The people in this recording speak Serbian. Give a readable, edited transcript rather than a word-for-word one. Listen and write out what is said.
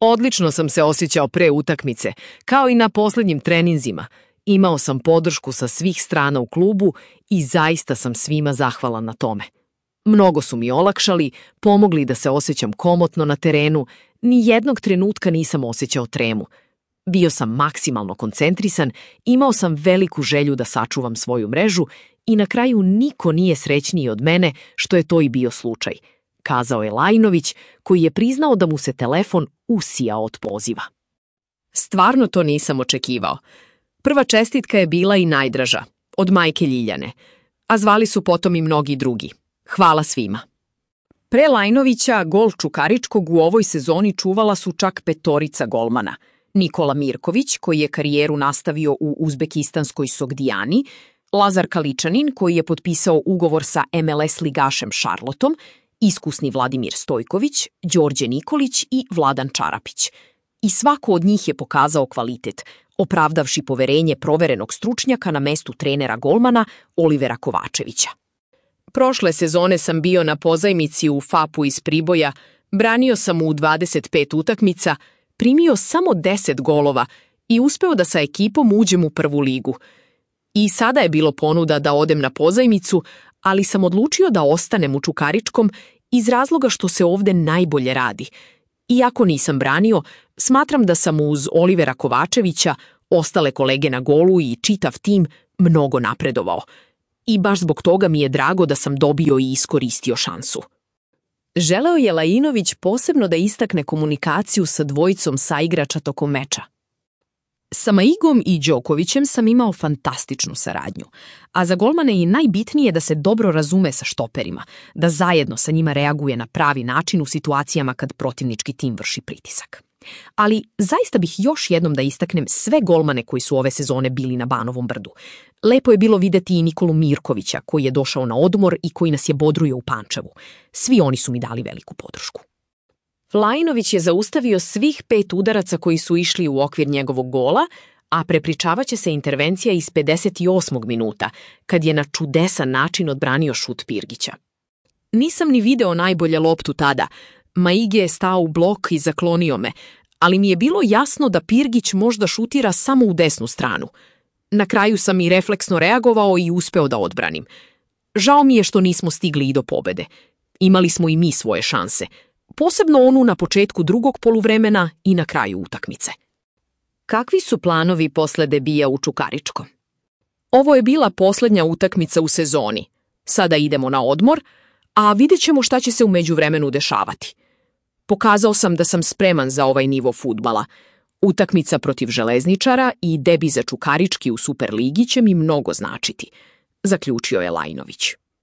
Odlično sam se osjećao pre utakmice, kao i na posljednjim treninzima. Imao sam podršku sa svih strana u klubu i zaista sam svima zahvalan na tome. Mnogo su mi olakšali, pomogli da se osjećam komotno na terenu, ni jednog trenutka nisam osjećao tremu. Bio sam maksimalno koncentrisan, imao sam veliku želju da sačuvam svoju mrežu i na kraju niko nije srećniji od mene što je to i bio slučaj, kazao je Lajinović, koji je priznao da mu se telefon usijao od poziva. Stvarno to nisam očekivao. Prva čestitka je bila i najdraža, od majke Ljiljane, a zvali su potom i mnogi drugi. Hvala svima. Pre Lajinovića, gol Čukaričkog u ovoj sezoni čuvala su čak 5 golmana. Nikola Mirković, koji je karijeru nastavio u uzbekistanskoj Sogdijani, Lazar Kaličanin, koji je potpisao ugovor sa MLS ligašem Šarlotom, iskusni Vladimir Stojković, Đorđe Nikolić i Vladan Čarapić. I svako od njih je pokazao kvalitet, opravdavši poverenje proverenog stručnjaka na mestu trenera golmana Olivera Kovačevića. Prošle sezone sam bio na pozajmici u FAP-u iz Priboja, branio sam u 25 utakmica, primio samo 10 golova i uspeo da sa ekipom uđem u prvu ligu. I sada je bilo ponuda da odem na pozajmicu, ali sam odlučio da ostanem u Čukaričkom iz razloga što se ovde najbolje radi. Iako nisam branio, smatram da sam uz Olivera Kovačevića, ostale kolege na golu i čitav tim mnogo napredovao. I baš zbog toga mi je drago da sam dobio i iskoristio šansu. Želeo je Lajinović posebno da istakne komunikaciju sa dvojicom saigrača tokom meča. Sa Maigom i Đokovićem sam imao fantastičnu saradnju, a za golmane je najbitnije da se dobro razume sa štoperima, da zajedno sa njima reaguje na pravi način u situacijama kad protivnički tim vrši pritisak. Ali zaista bih još jednom da istaknem sve golmane koji su ove sezone bili na Banovom brdu. Lepo je bilo videti i Nikolu Mirkovića koji je došao na odmor i koji nas je bodruo u Pančevu. Svi oni su mi dali veliku podršku. Lajinović je zaustavio svih 5 udaraca koji su išli u okvir njegovog gola, a prepričavaće se intervencija iz 58. minuta, kad je na čudesan način odbranio šut Pirgića. Nisam ni video najbolje loptu tada. Maige je stao u blok i zaklonio me, ali mi je bilo jasno da Pirgić možda šutira samo u desnu stranu. Na kraju sam i refleksno reagovao i uspeo da odbranim. Žao mi je što nismo stigli i do pobede. Imali smo i mi svoje šanse, posebno onu na početku drugog poluvremena i na kraju utakmice. Kakvi su planovi posle debija u Čukaričkom? Ovo je bila poslednja utakmica u sezoni. Sada idemo na odmor, a vidjet ćemo šta će se u međuvremenu dešavati. Pokazao sam da sam spreman za ovaj nivo fudbala. Utakmica protiv Železničara i debi za Čukarički u Superligi će mi mnogo značiti, zaključio je Lajinović.